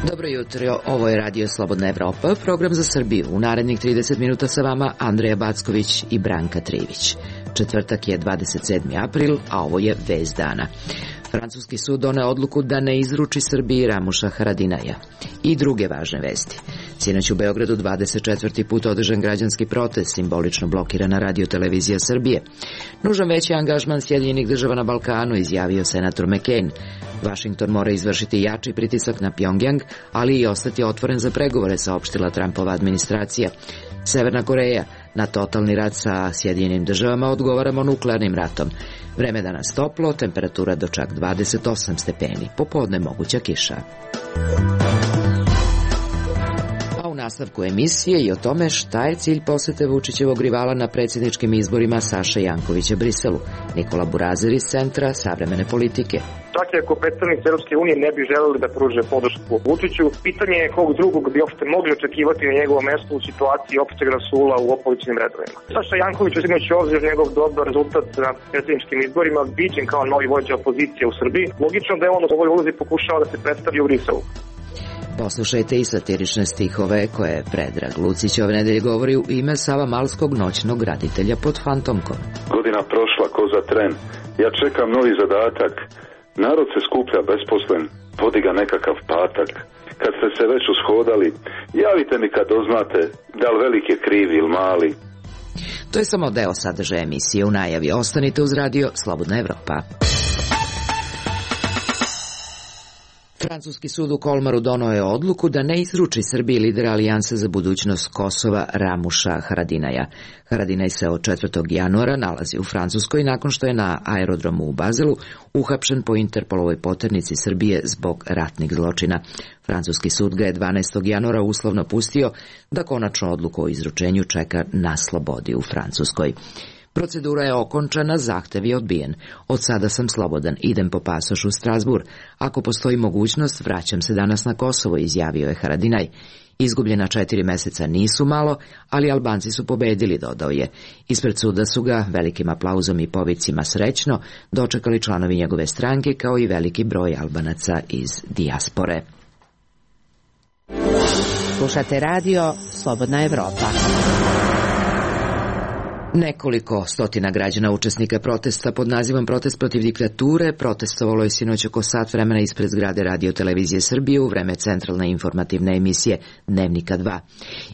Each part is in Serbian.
Dobro jutro, ovo je Radio Slobodna Evropa, program za Srbiju. U narednih 30 minuta sa vama Andreja Backović i Branka Trivić. Četvrtak je 27. april, a ovo je vest dana. Francuski sud doneo odluku da ne izruči Srbiji Ramuša Haradinaja. I druge važne vesti. Sinoć u Beogradu 24. put održan građanski protest, simbolično blokirana radio-televizija Srbije. Nužan veći angažman Sjedinjenih država na Balkanu, izjavio senator McCain. Washington mora izvršiti jači pritisak na Pjongjang, ali i ostati otvoren za pregovore, saopštila Trumpova administracija. Severna Koreja, na totalni rat sa Sjedinjenim državama odgovaramo nuklearnim ratom. Vreme danas toplo, temperatura do čak 28 stepeni, popodne moguća kiša. A u nastavku emisije i o tome šta je cilj posete Vučićevog rivala na predsjedničkim izborima Saše Jankovića Briselu. Nikola Burazer iz Centra savremene politike. Čak i ako predstavnici Europske unije ne bi želeli da pruže podršku Vučiću, pitanje je kog drugog bi uopšte mogli očekivati na njegovo mesto u situaciji opšteg rasula u opozicionim redovima. Saša Janković, uzimajući obzir njegov dobar rezultat na predsjedničkim izborima, viđen kao novi vođa opozicije u Srbiji, logično da je on u ovoj ulozi pokušao da se predstavi u Briselu. Poslušajte i satirične stihove koje Predrag Lucić ove nedelje govori u ime Savamalskog noćnog graditelja pod fantomkom. Godina prošla ko za tren, ja čekam novi zadatak. Narod se skuplja besposlen, vodi ga nekakav patak. Kad ste se već ushodali, javite mi kad doznate da li velik je krivi ili mali. To je samo deo sadržaja emisije. U najavi ostanite uz radio Slobodna Evropa. Francuski sud u Kolmaru doneo je odluku da ne izruči Srbiji lidera Alijanse za budućnost Kosova Ramuša Haradinaja. Haradinaj se od 4. januara nalazi u Francuskoj nakon što je na aerodromu u Bazelu uhapšen po Interpolovoj poternici Srbije zbog ratnih zločina. Francuski sud ga je 12. januara uslovno pustio da konačnu odluku o izručenju čeka na slobodi u Francuskoj. Procedura je okončana, zahtev je odbijen. Od sada sam slobodan, idem po pasoš u Strasbourg. Ako postoji mogućnost, vraćam se danas na Kosovo, izjavio je Haradinaj. Izgubljena 4 meseca nisu malo, ali Albanci su pobedili, dodao je. Ispred suda su ga velikim aplauzom i povicima srećno dočekali članovi njegove stranke, kao i veliki broj Albanaca iz dijaspore. Slušate radio Slobodna Evropa. Nekoliko stotina građana učesnika protesta pod nazivom Protest protiv diktature protestovalo je sinoć oko sat vremena ispred zgrade Radio-televizije Srbije u vreme centralne informativne emisije Dnevnika 2.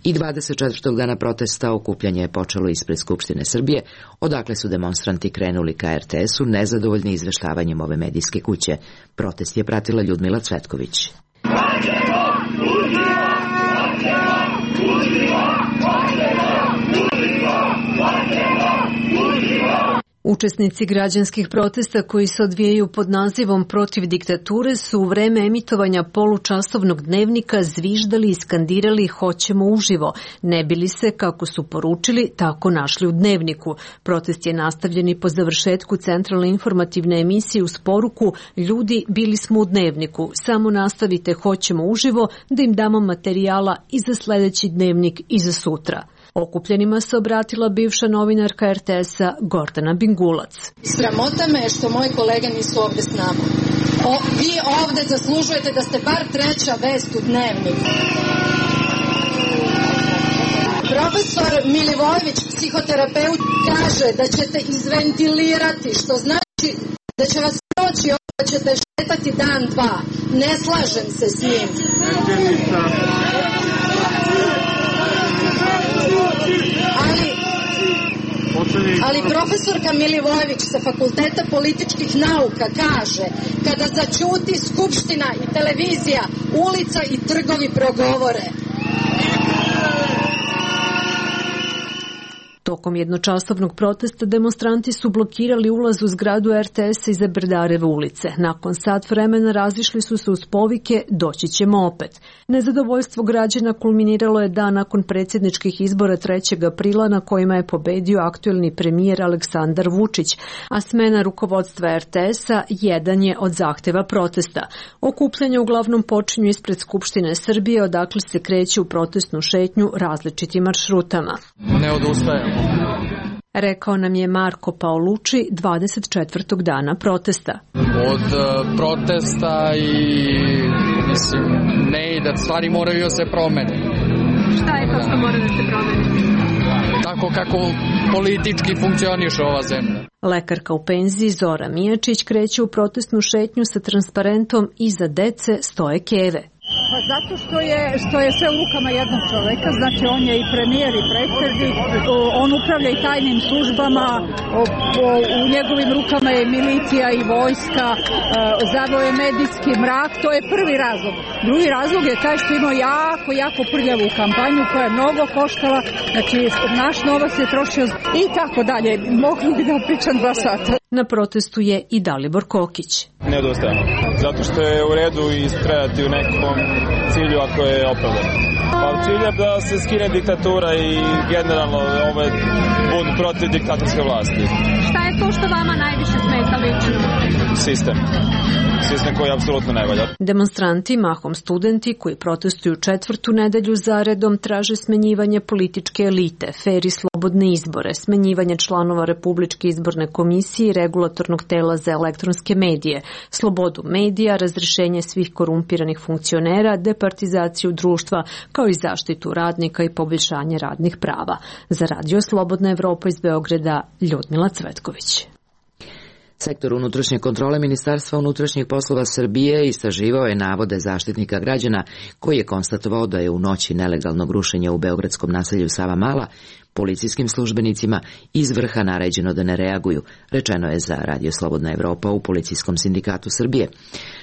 I 24. dana protesta okupljanje je počelo ispred Skupštine Srbije, odakle su demonstranti krenuli ka RTS-u nezadovoljni izveštavanjem ove medijske kuće. Protest je pratila Ljudmila Cvetković. Učesnici građanskih protesta koji se odvijaju pod nazivom Protiv diktature su u vreme emitovanja polučasovnog dnevnika zviždali i skandirali "Hoćemo uživo", ne bili se, kako su poručili, tako našli u dnevniku. Protest je nastavljen i po završetku centralne informativne emisije uz poruku "Ljudi, bili smo u dnevniku, samo nastavite Hoćemo uživo da im damo materijala i za sledeći dnevnik i za sutra." Okupljenima se obratila bivša novinarka RTS-a Gordana Bingulac. Sramota me je što moji kolege nisu ovde s nama. Vi ovde zaslužujete da ste bar treća vest u dnevniku. Profesor Milivojević, psihoterapeut, kaže da ćete izventilirati, što znači da će vas proći ovo, da ćete šetati dan, dva. Ne slažem se s njim. Ali profesorka Milivojević sa Fakulteta političkih nauka kaže: kada zaćuti Skupština i televizija, ulica i trgovi progovore. Tokom jednočasovnog protesta demonstranti su blokirali ulaz u zgradu RTS-a iza Brdareve ulice. Nakon sat vremena razišli su se uz povike "Doći ćemo opet". Nezadovoljstvo građana kulminiralo je dan nakon predsjedničkih izbora 3. aprila na kojima je pobedio aktuelni premijer Aleksandar Vučić, a smena rukovodstva RTS-a jedan je od zahteva protesta. Okupljanja uglavnom počinju ispred Skupštine Srbije, odakle se kreće u protestnu šetnju različitim maršrutama. Ne odustajemo. Rekao nam je Marko Paolucci 24. dana protesta. Od protesta i ne i da stvari moraju da se promene. Šta je to što mora da se promeni? Tako kako politički funkcioniše ova zemlja. Lekarka u penziji Zora Mijačić kreće u protestnu šetnju sa transparentom "Iza dece stoje keve". Pa zato što je sve u rukama jednog čoveka, znači on je i premijer i predsjednik, on upravlja i tajnim službama, u njegovim rukama je milicija i vojska, zaveo je medijski mrak, to je prvi razlog. Drugi razlog je taj što imao jako prljavu kampanju koja je mnogo koštala, znači naš novac je trošio i tako dalje, mogli bi da pričam 2 sata. Na protestu je i Dalibor Kokić. Ne odustajemo, zato što je u redu istrajati u nekom cilju ako je opravdano. Pa cilj je da se skine diktatura i generalno budu protiv diktatorske vlasti. Šta je to što vama najviše smeta lično? Sistem koji apsolutno ne valja. Demonstranti, mahom studenti koji protestuju 4. nedelju zaredom, traže smenjivanje političke elite, fer i slobodne izbore, smenjivanje članova Republičke izborne komisije i regulatornog tela za elektronske medije, slobodu medija, razrešenje svih korumpiranih funkcionera, departizaciju društva, kao i zaštitu radnika i poboljšanje radnih prava. Za Radio Slobodna Evropa iz Beograda, Ljudmila Cvetković. Sektor unutrašnje kontrole Ministarstva unutrašnjih poslova Srbije istraživao je navode Zaštitnika građana koji je konstatovao da je u noći nelegalnog rušenja u beogradskom naselju Savamala policijskim službenicima iz vrha naređeno da ne reaguju, rečeno je za Radio Slobodna Evropa u Policijskom sindikatu Srbije.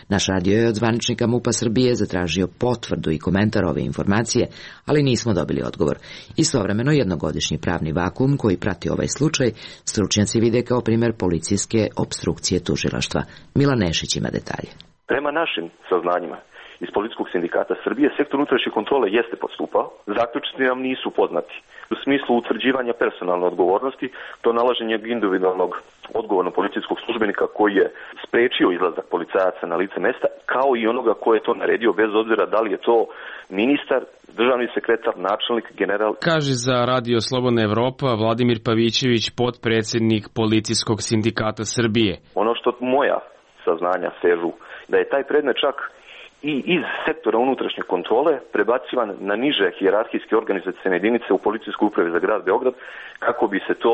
Naš radio je od zvaničnika MUP-a Srbije zatražio potvrdu i komentar ove informacije, ali nismo dobili odgovor. Istovremeno jednogodišnji pravni vakuum koji prati ovaj slučaj stručnjaci vide kao primjer policijske opstrukcije tužilaštva. Milan Nešić ima detalje. Prema našim saznanjima iz Policijskog sindikata Srbije, sektor unutrašnje kontrole jeste postupao. Zaključci nam nisu poznati. U smislu utvrđivanja personalne odgovornosti, to nalaženje individualnog odgovornog policijskog službenika koji je sprečio izlazak policajaca na lice mesta, kao i onoga ko je to naredio, bez obzira da li je to ministar, državni sekretar, načelnik, general. Kaže za Radio Slobodna Evropa Vladimir Pavićević, potpredsjednik Policijskog sindikata Srbije. Ono što moja saznanja sežu, da je taj predmet čak i iz sektora unutrašnje kontrole prebacivan na niže hijerarhijske organizacione jedinice u Policijskoj upravi za grad Beograd, kako bi se to,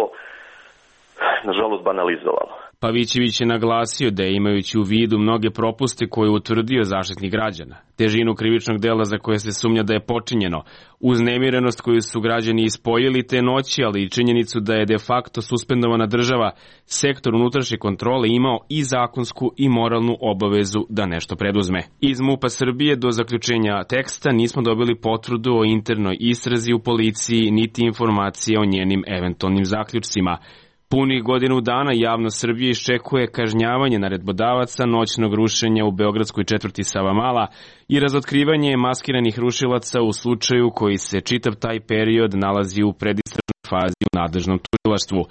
nažalost, banalizovalo. Pavićević je naglasio da je, imajući u vidu mnoge propuste koje je utvrdio Zaštitnik građana, težinu krivičnog dela za koje se sumnja da je počinjeno, uznemirenost koju su građani ispoljili te noći, ali i činjenicu da je de facto suspendovana država, sektor unutrašnje kontrole imao i zakonsku i moralnu obavezu da nešto preduzme. Iz MUP-a Srbije do zaključenja teksta nismo dobili potvrdu o internoj istrazi u policiji, niti informacije o njenim eventualnim zaključcima. Punih godinu dana javnost Srbije iščekuje kažnjavanje naredbodavaca noćnog rušenja u beogradskoj četvrti Savamala i razotkrivanje maskiranih rušilaca u slučaju koji se čitav taj period nalazi u predistražnoj fazi u nadležnom tužilaštvu.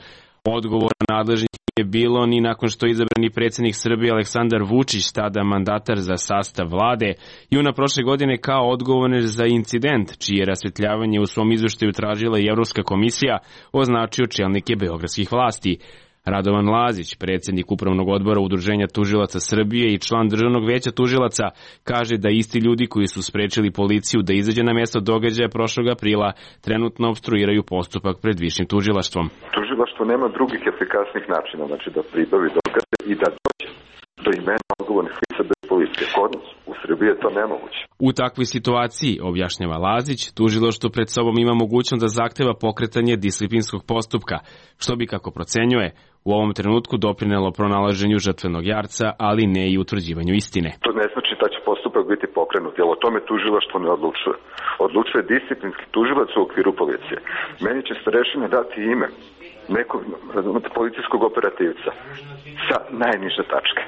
Odgovora nadležnih nije bilo ni nakon što je izabrani predsjednik Srbije Aleksandar Vučić, tada mandatar za sastav vlade, juna prošle godine kao odgovorni za incident, čije rasvetljavanje u svom izveštaju tražila i Evropska komisija, označio čelnike beogradskih vlasti. Radovan Lazić, predsjednik Upravnog odbora Udruženja tužilaca Srbije i član Državnog veća tužilaca, kaže da isti ljudi koji su sprečili policiju da izađe na mjesto događaja prošlog aprila trenutno opstruiraju postupak pred višim tužilaštvom. Tužilaštvo nema drugih efikasnih načina, znači da pribavi dokaze i da dođe do imena odgovornih lica bez policije. Kod nas u Srbiji je to nemoguće. U takvoj situaciji, objašnjava Lazić, tužilaštvo pred sobom ima mogućnost da zahteva pokretanje disciplinskog postupka, što bi, kako procenjuje, u ovom trenutku doprinelo pronalaženju žrtvenog jarca, ali ne i utvrđivanju istine. To ne znači da će postupak biti pokrenut, jer o tome tužilaštvo ne odlučuje. Odlučuje disciplinski tužilac u okviru policije. Meni će starešina dati ime nekog policijskog operativca sa najniže tačke.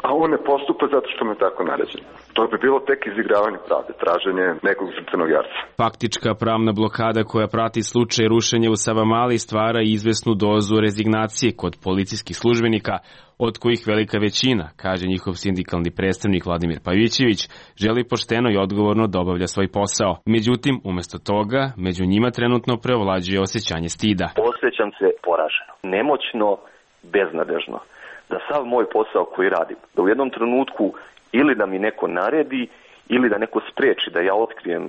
A on ne postupa zato što mu je tako naređeno. To bi bilo tek izigravanje pravde, traženje nekog žrtvenog jarca. Faktička pravna blokada koja prati slučaj rušenja u Savamali stvara izvesnu dozu rezignacije kod policijskih službenika, od kojih velika većina, kaže njihov sindikalni predstavnik Vladimir Pavićević, želi pošteno i odgovorno da obavlja svoj posao. Međutim, umesto toga, među njima trenutno preovlađuje osjećanje stida. Osjećam se poraženo, nemoćno, beznadežno. Da sav moj posao koji radim, da u jednom trenutku ili da mi neko naredi ili da neko spreči da ja otkrijem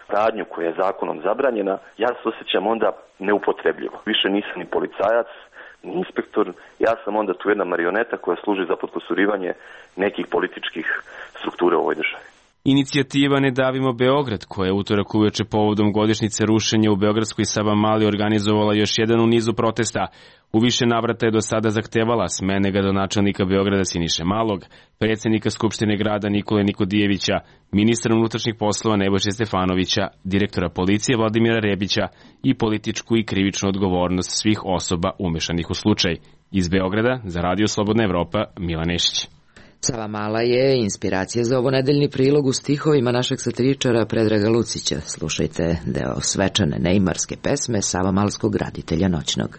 radnju koja je zakonom zabranjena, ja se osjećam onda neupotrebljivo. Više nisam ni policajac, ni inspektor, ja sam onda tu jedna marioneta koja služi za potkusurivanje nekih političkih struktura u ovoj državi. Inicijativa Ne davimo Beograd, koja je utorak uveče povodom godišnjice rušenja u beogradskoj Savamali organizovala još jedan u nizu protesta. U više navrata je do sada zahtevala smene gradonačelnika Beograda Siniše Malog, predsjednika Skupštine grada Nikole Nikodijevića, ministra unutrašnjih poslova Nebojše Stefanovića, direktora policije Vladimira Rebića i političku i krivičnu odgovornost svih osoba umešanih u slučaj. Iz Beograda za Radio Slobodna Evropa, Milan Nešić. Savamala je inspiracija za ovonedeljni prilog u stihovima našeg satiričara Predraga Lucića. Slušajte deo svečane neimarske pesme savamalskog graditelja noćnog.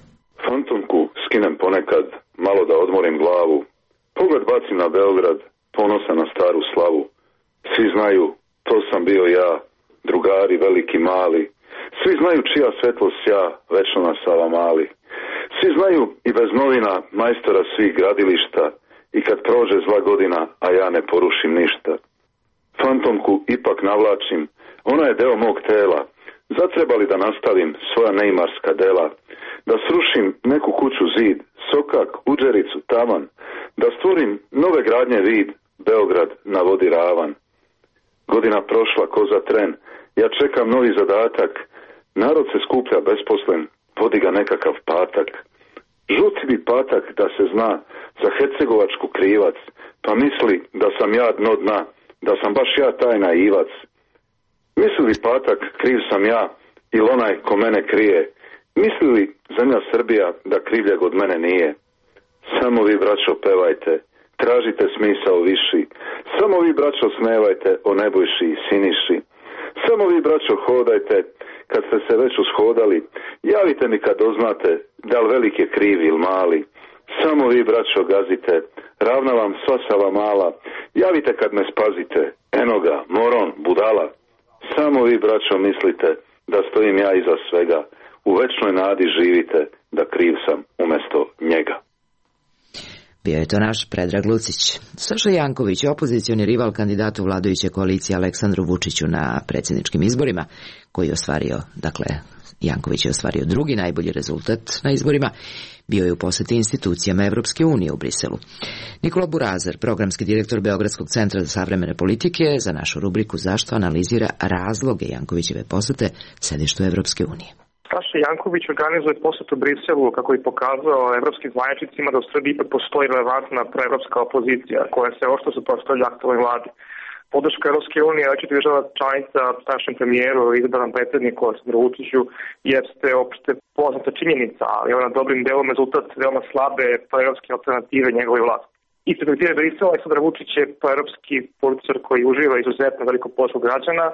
Fantomku skinem ponekad, malo da odmorim glavu. Pogled bacim na Beograd, ponosan na staru slavu. Svi znaju, to sam bio ja, drugari veliki mali. Svi znaju čija svetlost ja, večno na Savamali. Svi znaju i bez novina majstora svih gradilišta. I kad prođe zla godina, a ja ne porušim ništa. Fantomku ipak navlačim, ona je deo mog tela. Zatrebali da nastavim svoja neimarska dela. Da srušim neku kuću zid, sokak, uđericu, tavan. Da stvorim nove gradnje vid, Beograd na vodi ravan. Godina prošla ko za tren, ja čekam novi zadatak. Narod se skuplja besposlen, vodi ga nekakav patak. Žuti bi patak da se zna za hercegovačku krivac, pa misli da sam ja dno dna, da sam baš ja taj naivac. Misli li patak kriv sam ja ili onaj ko mene krije, misli li zemlja Srbija da krivljeg od mene nije. Samo vi braćo pevajte, tražite smisao viši, samo vi braćo smevajte o Nebojši i Siniši. Samo vi braćo hodajte, kad ste se već ushodali, javite mi kad doznate da li velik je kriv ili mali. Samo vi braćo gazite, ravna vam sva Savamala, javite kad me spazite, eno ga, moron, budala. Samo vi braćo mislite da stojim ja iza svega, u večnoj nadi živite da kriv sam umjesto njega. Bio je to naš Predrag Lucić. Saša Janković, opozicioni rival kandidatu vladajuće koalicije Aleksandru Vučiću na predsjedničkim izborima, koji je ostvario, Janković je ostvario drugi najbolji rezultat na izborima, bio je u poseti institucijama Evropske unije u Briselu. Nikola Burazar, programski direktor Beogradskog centra za savremene politike, za našu rubriku Zašto analizira razloge Jankovićeve posete sedištu Evropske unije. Saša Janković organizuje posetu Briselu kako je pokazao evropskim zvaničnicima da u Srbiji ipak postoji relevantna proevropska opozicija koja se oštro suprotstavlja aktualnoj vladi. Podrška Evropske unije, očito država članica našem premijeru i izabranom predsjedniku Aleksandru Vučiću jeste opšte poznata činjenica, ali je ona dobrim delom rezultat veoma slabe proevropske alternative njegove vlasti. Ispred premijera Brisela Aleksandar Vučić je proevropski političar koji uživa izuzetno veliko podršku građana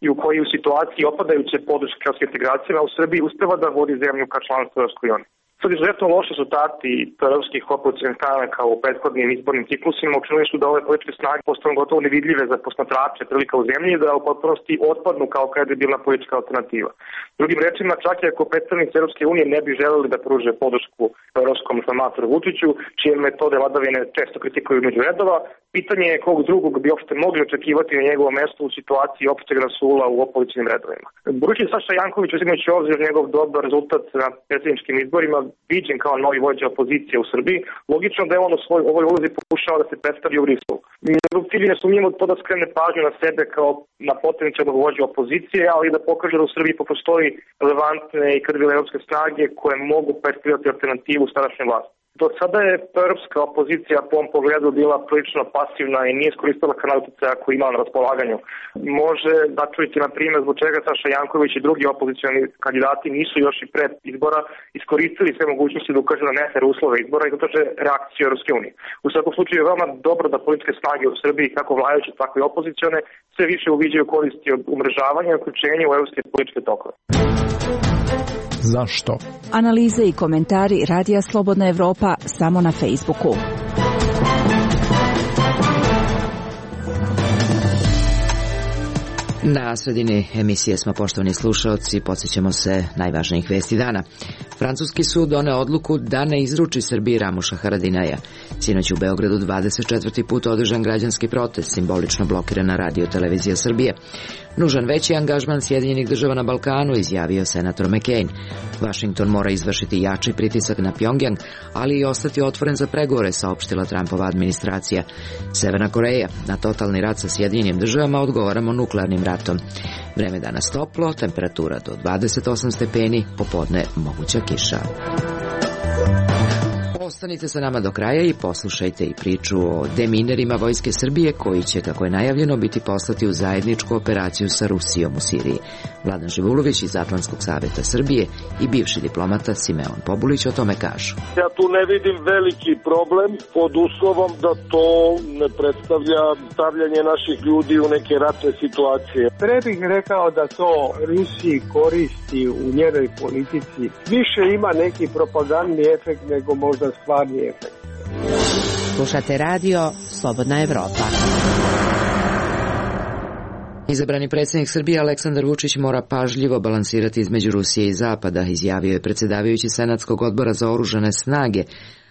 i u koji u situaciji opadajuće podrške evropske integracije u Srbiji uspeva da vodi zemlju ka članstvu Evropskoj uniji. Sad izuzetno loši rezultati proevropskih opozicionih stranaka u prethodnim izbornim ciklusima učinili su da ove političke snage postanu gotovo nevidljive za posmatrače prilika u zemlji i da u potpunosti otpadnu kao kredibilna politička alternativa. Drugim rečima, čak i ako predstavnici Evropske unije ne bi želeli da pruže podršku evropskom informatoru Vučiću, čije metode vladavine često kritikuju među redova, Pitanje je kog drugog bi uopšte mogli očekivati na njegovo mesto u situaciji opšteg rasula u opozicionim redovima. Budući Saša Janković, uzimajući obzir njegov dobar rezultat na predsjedničkim izborima, viđen kao novi vođa opozicije u Srbiji, logično da je on u ovoj ulozi pokušao da se predstavi u Briselu. Njegov cilj je nesumnjivo to da skrene pažnju na sebe kao na potencijalnog vođu opozicije, ali i da pokaže da u Srbiji postoji relevantne i krvile evropske snage koje mogu predstavljati alternativu starašnje vlasti. Do sada je europska opozicija po ovom pogledu bila prilično pasivna i nije iskoristila kanal uticaja koji imala na raspolaganju. Može da čujete na primjer zbog čega Saša Janković i drugi opozicioni kandidati nisu još i pred izbora iskoristili sve mogućnosti da ukažu na nefer uslove izbora i da traže reakciju Europske unije. U svakom slučaju je veoma dobro da političke snage u Srbiji, kako vladajuće, tako i opozicione, sve više uviđaju koristi od umrežavanja i uključenja u evropske političke tokove. Zašto? Analize i komentari Radija Slobodna Evropa samo na Facebooku. Na sredini emisije smo, poštovani slušaoci, podsjećamo se najvažnijih vesti dana. Francuski sud doneo odluku da ne izruči Srbiji Ramuša Haradinaja. Sinoć u Beogradu 24. put održan građanski protest, simbolično blokirana radio-televizija Srbije. Nužan veći angažman Sjedinjenih država na Balkanu, izjavio senator McCain. Washington mora izvršiti jači pritisak na Pjongjang, ali i ostati otvoren za pregovore, saopštila Trumpova administracija. Severna Koreja na totalni rat sa Sjedinjenim državama odgovaramo nuklearnim ratom. Vreme danas toplo, temperatura do 28 stepeni, popodne moguća kiša. Ostanite sa nama do kraja i poslušajte i priču o deminerima Vojske Srbije koji će, kako je najavljeno, biti poslati u zajedničku operaciju sa Rusijom u Siriji. Vladan Živulović iz Atlantskog saveta Srbije i bivši diplomata Simeon Pobulić o tome kažu. Ja tu ne vidim veliki problem pod uslovom da to ne predstavlja stavljanje naših ljudi u neke ratne situacije. Pre bih rekao da to Rusiji koristi u njenoj politici. Više ima neki propagandni efekt nego možda stvarni efekt. Slušate radio Slobodna Evropa. Izabrani predsjednik Srbije Aleksandar Vučić mora pažljivo balansirati između Rusije i Zapada, izjavio je predsjedavajući Senatskog odbora za oružane snage,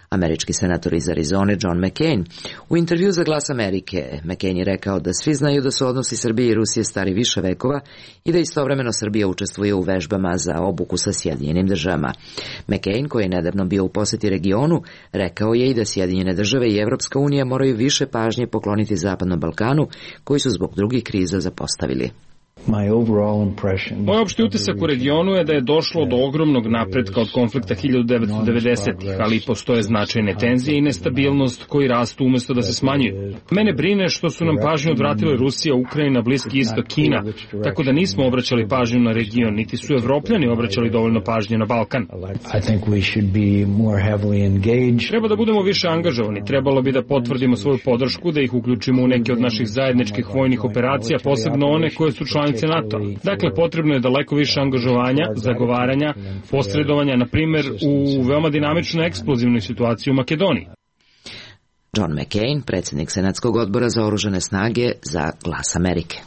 američki senator iz Arizone John McCain. U intervju za Glas Amerike, McCain je rekao da svi znaju da su odnosi Srbije i Rusije stari više vekova i da istovremeno Srbija učestvuje u vežbama za obuku sa Sjedinjenim državama. McCain, koji je nedavno bio u posjeti regionu, rekao je i da Sjedinjene države i Evropska unija moraju više pažnje pokloniti Zapadnom Balkanu, koji su zbog drugih kriza zapostavili. Moj opšti utisak u regionu je da je došlo do ogromnog napretka od konflikta 1990-ih, ali postoje značajne tenzije i nestabilnost koji rastu umjesto da se smanjuju. Mene brine što su nam pažnju odvratile Rusija, Ukrajina, Bliski istok, Kina, tako da nismo obraćali pažnju na region, niti su Evropljani obraćali dovoljno pažnje na Balkan. Treba da budemo više angažovani, trebalo bi da potvrdimo svoju podršku, da ih uključimo u neke od naših zajedničkih vojnih operacija, posebno one koje su članice NATO. Dakle, potrebno je daleko više angažovanja, zagovaranja, posredovanja, na primjer u veoma dinamičnoj eksplozivnoj situaciji u Makedoniji. John McCain, predsjednik Senatskog odbora za oružane snage, za Glas Amerike.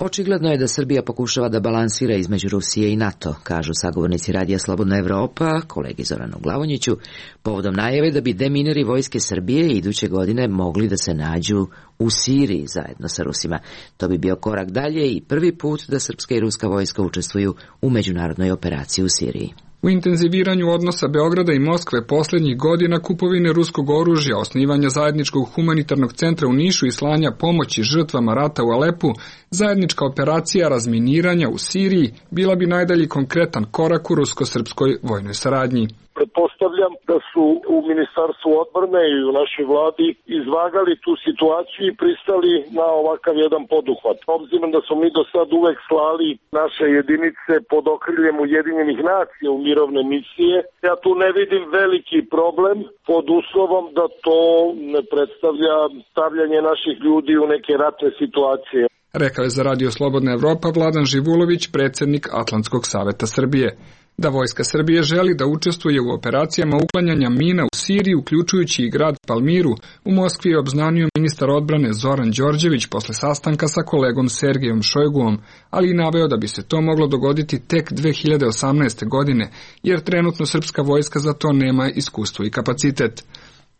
Očigledno je da Srbija pokušava da balansira između Rusije i NATO, kažu sagovornici Radija Slobodna Evropa, kolegi Zoranu Glavonjiću, povodom najave da bi demineri Vojske Srbije iduće godine mogli da se nađu u Siriji zajedno sa Rusima. To bi bio korak dalje i prvi put da srpska i ruska vojska učestvuju u međunarodnoj operaciji u Siriji. U intenziviranju odnosa Beograda i Moskve posljednjih godina, kupovine ruskog oružja, osnivanja zajedničkog humanitarnog centra u Nišu i slanja pomoći žrtvama rata u Alepu, zajednička operacija razminiranja u Siriji bila bi najdalji konkretan korak u rusko-srpskoj vojnoj saradnji. Pretpostavljam da su u Ministarstvu odbrane i u našoj vladi izvagali tu situaciju i pristali na ovakav jedan poduhvat. Obzirom da smo mi do sad uvek slali naše jedinice pod okriljem Ujedinjenih nacija u mirovne misije, ja tu ne vidim veliki problem pod uslovom da to ne predstavlja stavljanje naših ljudi u neke ratne situacije. Rekao je za Radio Slobodna Evropa Vladan Živulović, predsjednik Atlantskog saveta Srbije. da vojska Srbije želi da učestvuje u operacijama uklanjanja mina u Siriji, uključujući i grad Palmiru, u Moskvi je obznanio ministar odbrane Zoran Đorđević posle sastanka sa kolegom Sergejom Šojguom, ali i naveo da bi se to moglo dogoditi tek 2018. godine, jer trenutno srpska vojska za to nema iskustvo i kapacitet.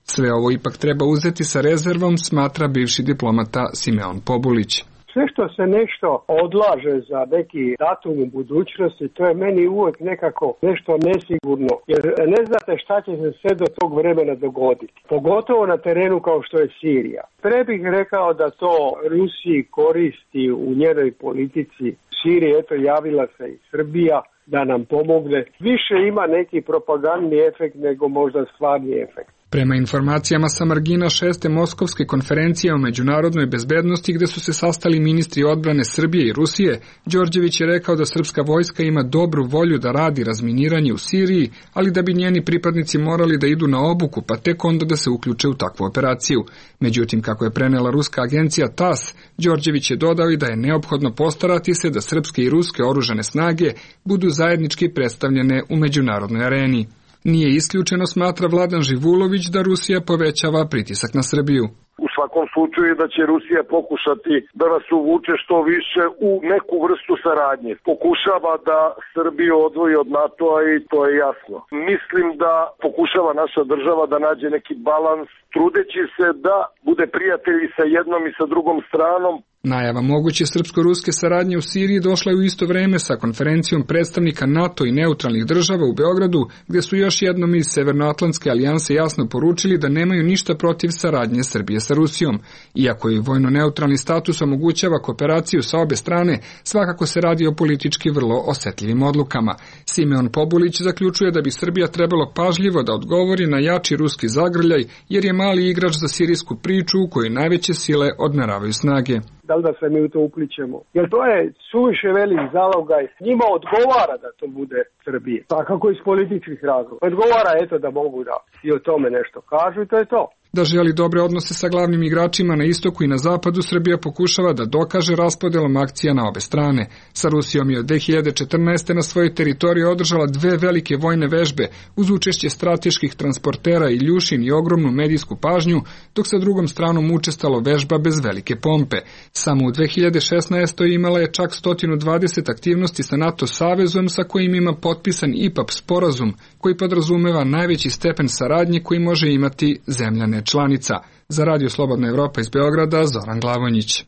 Sve ovo ipak treba uzeti sa rezervom, smatra bivši diplomata Simeon Pobulić. Sve što se nešto odlaže za neki datum u budućnosti, to je meni uvijek nekako nešto nesigurno, jer ne znate šta će se sve do tog vremena dogoditi. Pogotovo na terenu kao što je Sirija. Pre bih rekao da to Rusiji koristi u njenoj politici. Siriji, eto, javila se i Srbija da nam pomogne. Više ima neki propagandni efekt nego možda stvarni efekt. Prema informacijama sa margina 6. Moskovske konferencije o međunarodnoj bezbednosti, gde su se sastali ministri odbrane Srbije i Rusije, Đorđević je rekao da srpska vojska ima dobru volju da radi razminiranje u Siriji, ali da bi njeni pripadnici morali da idu na obuku, pa tek onda da se uključe u takvu operaciju. Međutim, kako je prenela ruska agencija TASS, Đorđević je dodao i da je neophodno postarati se da srpske i ruske oružane snage budu zajednički predstavljene u međunarodnoj areni. Nije isključeno, smatra Vladan Živulović, da Rusija povećava pritisak na Srbiju. U svakom slučaju da će Rusija pokušati da nas uvuče što više u neku vrstu saradnje. Pokušava da Srbiju odvoji od NATO-a i to je jasno. Mislim da pokušava naša država da nađe neki balans, trudeći se da bude prijatelj i sa jednom i sa drugom stranom. Najava moguće srpsko-ruske saradnje u Siriji došla je u isto vreme sa konferencijom predstavnika NATO i neutralnih država u Beogradu, gde su još jednom iz Severnoatlantske alijanse jasno poručili da nemaju ništa protiv saradnje Srbije sa Rusijom. Iako i vojno-neutralni status omogućava kooperaciju sa obe strane, svakako se radi o politički vrlo osetljivim odlukama. Simeon Pobulić zaključuje da bi Srbija trebalo pažljivo da odgovori na jači ruski zagrljaj, jer je mali igrač za sirijsku priču u kojoj najveće sile odmeravaju snage. Da li da se mi u to upličemo? Jer to je suviše velik zalogaj. Njima odgovara da to bude Srbije. Pa kako iz političkih razloga. Odgovara eto da mogu da i o tome nešto kažu i to je to. Da želi dobre odnose sa glavnim igračima na istoku i na zapadu, Srbija pokušava da dokaže raspodelom akcija na obe strane. Sa Rusijom je od 2014. na svojoj teritoriji održala 2 velike vojne vežbe uz učešće strateških transportera Iljušin i ogromnu medijsku pažnju, dok sa drugom stranom učestalo vežba bez velike pompe. Samo u 2016. imala je čak 120 aktivnosti sa NATO savezom, sa kojim ima potpisan IPAP sporazum, koji podrazumeva najveći stepen saradnje koji može imati zemljane članica. Za Radio Slobodna Evropa iz Beograda, Zoran Glavonjić.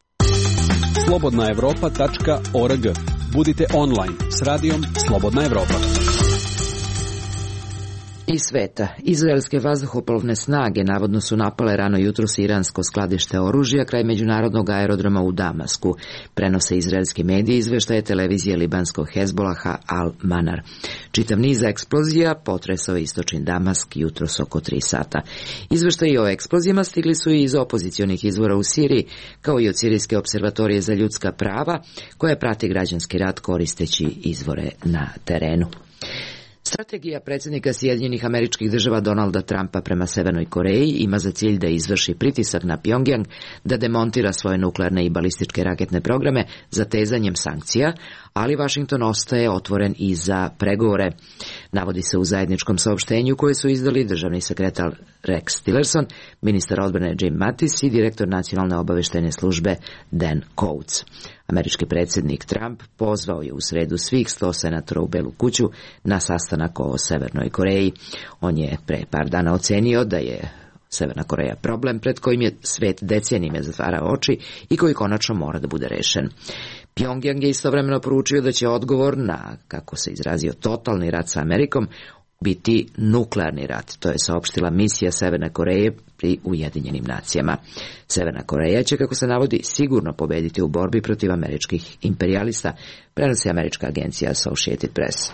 slobodnaevropa.org. Budite online s radijom Slobodna Evropa. Iz sveta. Izraelske vazduhoplovne snage navodno su napale rano jutros iransko skladište oružja kraj međunarodnog aerodroma u Damasku. Prenose izraelski mediji, izveštaje televizije libanskog Hezbolaha Al-Manar. Čitav niz eksplozija potresao istočni Damask jutros oko 3 sata. Izveštaji o eksplozijama stigli su i iz opozicionih izvora u Siriji, kao i od Sirijske observatorije za ljudska prava, koja prati građanski rat koristeći izvore na terenu. Strategija predsjednika Sjedinjenih Američkih Država Donalda Trumpa prema Severnoj Koreji ima za cilj da izvrši pritisak na Pjongjang da demontira svoje nuklearne i balističke raketne programe zatezanjem sankcija, ali Vašington ostaje otvoren i za pregovore. Navodi se u zajedničkom saopštenju koje su izdali državni sekretar Rex Tillerson, ministar odbrane Jim Mattis i direktor nacionalne obaveštajne službe Dan Coats. Američki predsjednik Trump pozvao je u sredu svih 100 senatora u Belu kuću na sastanak o Severnoj Koreji. On je pre par dana ocenio da je Severna Koreja problem pred kojim je svet decenijima zatvarao oči i koji konačno mora da bude rešen. Pjongjang je istovremeno poručio da će odgovor na, kako se izrazio, totalni rat sa Amerikom biti nuklearni rat. To je saopštila misija Severne Koreje pri Ujedinjenim nacijama. Severna Koreja će, kako se navodi, sigurno pobediti u borbi protiv američkih imperijalista, prenosi američka agencija Associated Press.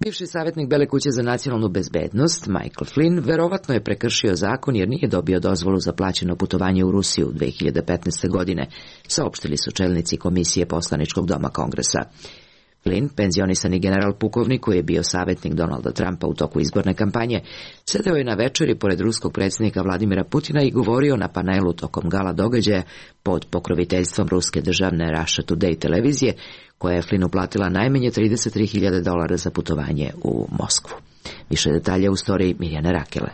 Bivši savjetnik Bele kuće za nacionalnu bezbednost, Michael Flynn, verovatno je prekršio zakon jer nije dobio dozvolu za plaćeno putovanje u Rusiju 2015. godine, saopštili su čelnici Komisije poslaničkog doma Kongresa. Flynn, penzionisani general pukovnik koji je bio savjetnik Donalda Trumpa u toku izborne kampanje, sedeo je na večeri pored ruskog predsjednika Vladimira Putina i govorio na panelu tokom gala događaja pod pokroviteljstvom ruske državne Russia Today televizije, koja je Flinu platila najmanje $33.000 za putovanje u Moskvu. Više detalja u storiji Mirjane Rakele.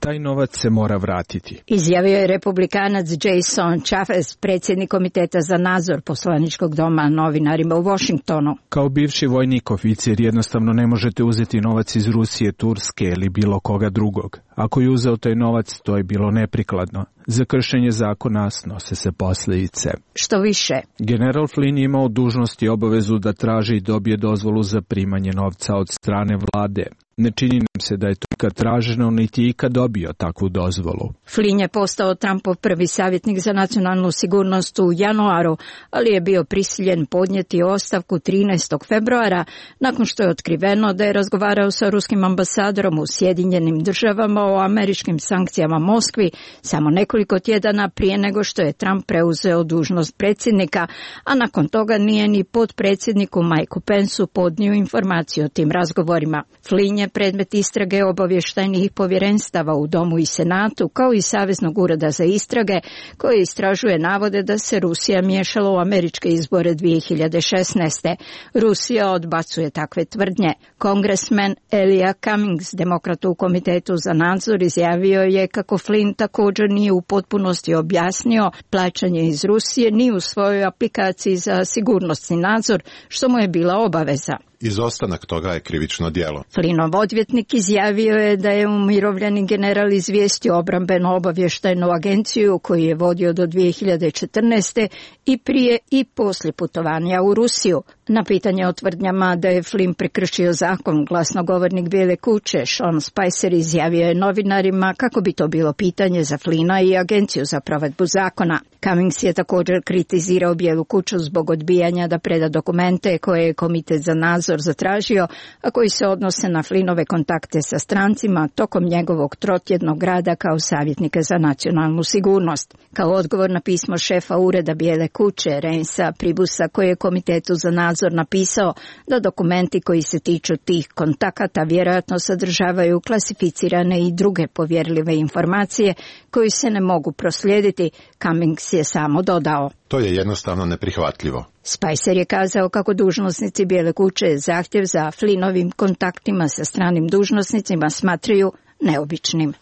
Taj novac se mora vratiti, izjavio je republikanac Jason Chaffetz, predsjednik komiteta za nadzor poslaničkog doma, novinarima u Washingtonu. Kao bivši vojnik oficir jednostavno ne možete uzeti novac iz Rusije, Turske ili bilo koga drugog. Ako je uzeo taj novac, to je bilo neprikladno. Za kršenje zakona snose se posljedice. Što više, general Flynn je imao dužnost i obavezu da traži i dobije dozvolu za primanje novca od strane vlade. Ne čini nam se da je to ikad traženo, niti je ikad dobio takvu dozvolu. Flynn je postao Trumpov prvi savjetnik za nacionalnu sigurnost u januaru, ali je bio prisiljen podnijeti ostavku 13. februara nakon što je otkriveno da je razgovarao sa ruskim ambasadorom u Sjedinjenim Državama o američkim sankcijama Moskvi samo nekoliko tjedana prije nego što je Trump preuzeo dužnost predsjednika, a nakon toga nije ni potpredsjedniku Mikeu Penceu podnio informaciju o tim razgovorima. Flynn je predmet istrage obavještajnih povjerenstava u Domu i Senatu, kao i Saveznog ureda za istrage, koje istražuje navode da se Rusija miješala u američke izbore 2016. Rusija odbacuje takve tvrdnje. Kongresmen Elijah Cummings, demokrat u komitetu za nadzor, izjavio je kako Flynn također nije u potpunosti objasnio plaćanje iz Rusije ni u svojoj aplikaciji za sigurnosni nadzor, što mu je bila obaveza. Izostanak toga je krivično djelo. Flynnov odvjetnik izjavio je da je umirovljeni general izvijestio obrambeno obavještajnu agenciju koju je vodio do 2014. i prije i poslije putovanja u Rusiju. Na pitanje o tvrdnjama da je Flynn prekršio zakon, glasnogovornik Bijele kuće Sean Spicer izjavio je novinarima kako bi to bilo pitanje za Flynna i agenciju za provedbu zakona. Cummings je također kritizirao Bijelu kuću zbog odbijanja da preda dokumente koje je komitet za nadzor zatražio, a koji se odnose na Flynnove kontakte sa strancima tokom njegovog trotjednog rada kao savjetnika za nacionalnu sigurnost. Kao odgovor na pismo šefa ureda Bijele kuće Reinsa Pribusa, koji je komitetu za nadzor napisao da dokumenti koji se tiču tih kontakata vjerojatno sadržavaju klasificirane i druge povjerljive informacije koji se ne mogu proslijediti, Cummings je samo dodao: to je jednostavno neprihvatljivo. Spicer je kazao kako dužnosnici Bijele kuće zahtjev za Flynnovim kontaktima sa stranim dužnosnicima smatraju neobičnim.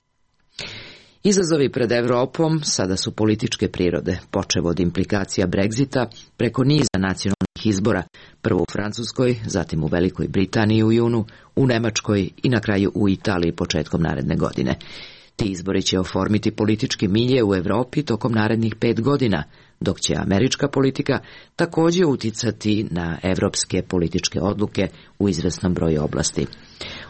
Izazovi pred Evropom sada su političke prirode, počev od implikacija Brexita preko niza nacionalnih izbora, prvo u Francuskoj, zatim u Velikoj Britaniji u junu, u Nemačkoj i na kraju u Italiji početkom naredne godine. Ti izbori će oformiti politički milje u Evropi tokom narednih 5 godina, dok će američka politika također uticati na evropske političke odluke u izvesnom broju oblasti.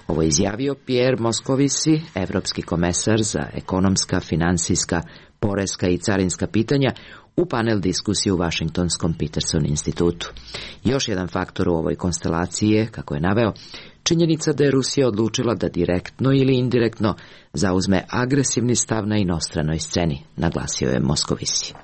Ovo je izjavio Pierre Moscovici, evropski komesar za ekonomska, finansijska, poreska i carinska pitanja, u panel diskusiji u Washingtonskom Peterson institutu. Još jedan faktor u ovoj konstelaciji je, kako je naveo, činjenica da je Rusija odlučila da direktno ili indirektno zauzme agresivni stav na inostranoj sceni, naglasio je Moscovici.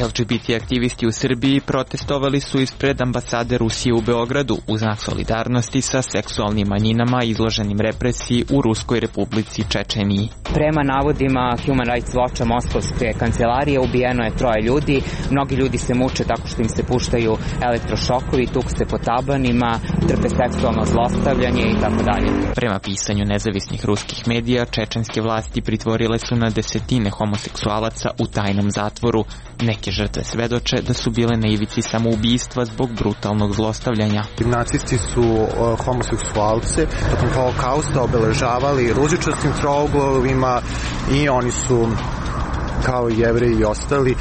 LGBT aktivisti u Srbiji protestovali su ispred ambasade Rusije u Beogradu u znak solidarnosti sa seksualnim manjinama izloženim represiji u Ruskoj Republici Čečeniji. Prema navodima Human Rights Watcha Moskovske kancelarije ubijeno je 3 ljudi. Mnogi ljudi se muče tako što im se puštaju elektrošokovi, tuk se po tabanima, trpe seksualno zlostavljanje i tako dalje. Prema pisanju nezavisnih ruskih medija, čečenske vlasti pritvorile su na desetine homoseksualaca u tajnom zatvoru. Neke žrtve svedoče da su bile na ivici samoubistva zbog brutalnog zlostavljanja. Nacisti su homoseksualce tokom Holokausta obeležavali ružičastim trouglovima i oni su, kao i Jevreji i ostali,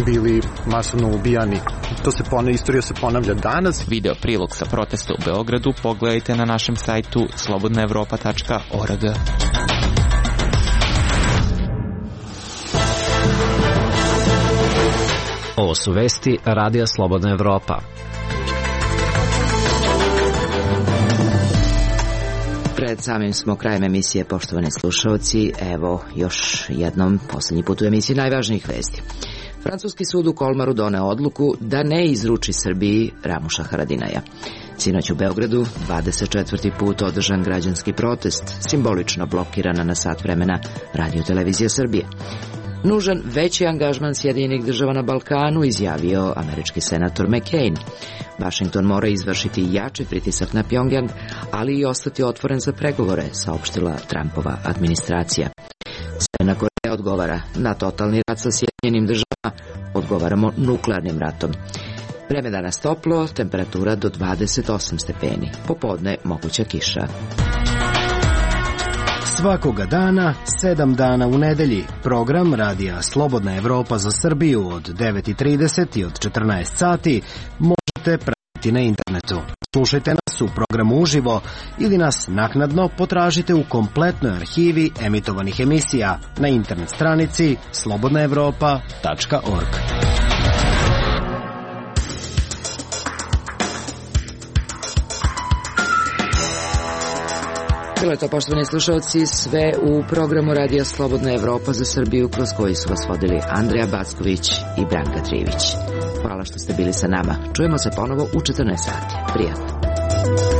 bili masovno ubijani. Istorija se ponavlja danas. Video prilog sa protesta u Beogradu pogledajte na našem sajtu slobodnaevropa.org. Ovo su vesti Radija Slobodna Evropa. Pred samim smo krajem emisije, poštovani slušalci. Evo još jednom, posljednji put u emisiji najvažnijih vesti. Francuski sud u Kolmaru doneo odluku da ne izruči Srbiji Ramuša Haradinaja. Sinoć u Beogradu 24. put održan građanski protest, simbolično blokirana na sat vremena Radio Televizija Srbije. Nužan veći angažman Sjedinjenih država na Balkanu, izjavio američki senator McCain. Washington mora izvršiti jači pritisak na Pjongjang, ali i ostati otvoren za pregovore, saopštila Trumpova administracija. Severna Koreja odgovara na totalni rat sa Sjedinjenim državama, odgovaramo nuklearnim ratom. Vreme danas toplo, temperatura do 28 stepeni. Popodne moguća kiša. Svakoga dana, 7 dana u nedelji. Program Radija Slobodna Evropa za Srbiju od 9:30 i od 14 sati možete pratiti na internetu. Slušajte nas u programu uživo ili nas naknadno potražite u kompletnoj arhivi emitovanih emisija na internet stranici slobodnaevropa.org. Bilo je to, poštovani slušalci, sve u programu Radija Slobodna Evropa za Srbiju, kroz koji su vas vodili Andreja Backović i Branka Trivić. Hvala što ste bili sa nama. Čujemo se ponovo u 14 sati. Prijatno.